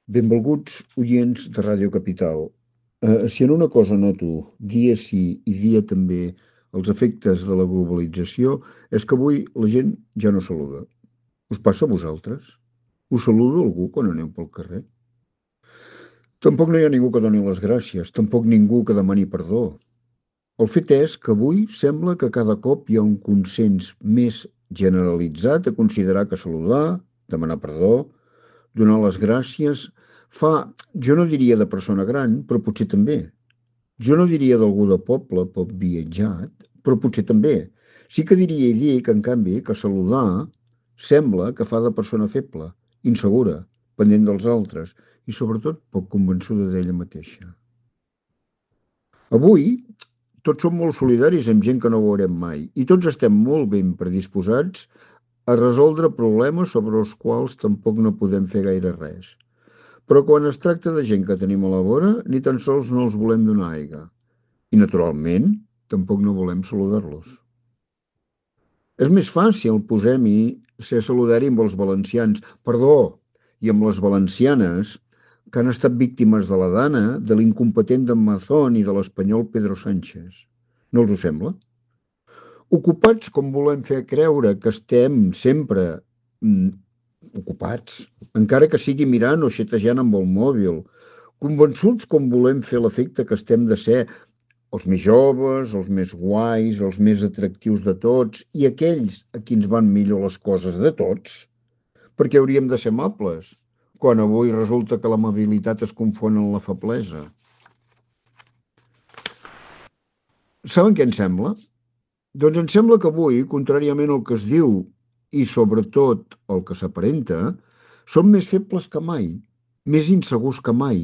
Benvolguts oients de Ràdio Capital. Si en una cosa noto dia sí i dia també els efectes de la globalització, és que avui la gent ja no saluda. Us passa a vosaltres? Us saluda algú quan aneu pel carrer? Tampoc no hi ha ningú que doni les gràcies, tampoc ningú que demani perdó. El fet és que avui sembla que cada cop hi ha un consens més generalitzat a considerar que saludar, demanar perdó, donar les gràcies, jo no diria de persona gran, però potser també. Jo no diria d'algú de poble poc viatjat, però potser també. Sí que diria i dic, en canvi, que saludar sembla que fa de persona feble, insegura, pendent dels altres i sobretot poc convençuda d'ella mateixa. Avui tots som molt solidaris amb gent que no veurem mai i tots estem molt ben predisposats a resoldre problemes sobre els quals tampoc no podem fer gaire res. Però quan es tracta de gent que tenim a la vora, ni tan sols no els volem donar aigua. I, naturalment, tampoc no volem saludar-los. És més fàcil, posem-hi, ser solidari amb els valencians, i amb les valencianes, que han estat víctimes de la Dana, de l'incompetent d'en Mazón i de l'espanyol Pedro Sánchez. No els ho sembla? Ocupats com volem fer creure que estem sempre ocupats, encara que sigui mirant o xetejant amb el mòbil, convençuts com volem fer l'efecte que estem de ser els més joves, els més guais, els més atractius de tots i aquells a qui ens van millor les coses de tots, perquè hauríem de ser amables, quan avui resulta que l'amabilitat es confon amb la feblesa. Saben què em sembla? Doncs em sembla que avui, contràriament al que es diu i sobretot el que s'aparenta, som més febles que mai, més insegurs que mai,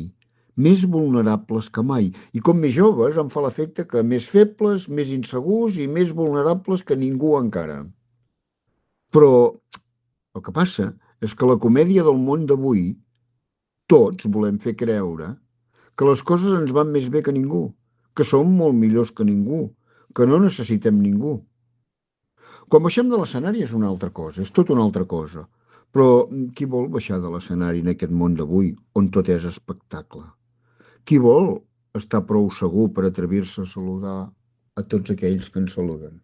més vulnerables que mai. I com més joves em fa l'efecte que més febles, més insegurs i més vulnerables que ningú encara. Però el que passa és que la comèdia del món d'avui, tots volem fer creure que les coses ens van més bé que ningú, que som molt millors que ningú, que no necessitem ningú. Quan baixem de l'escenari és una altra cosa, és tot una altra cosa. Però qui vol baixar de l'escenari en aquest món d'avui, on tot és espectacle? Qui vol estar prou segur per atrevir-se a saludar a tots aquells que ens saluden?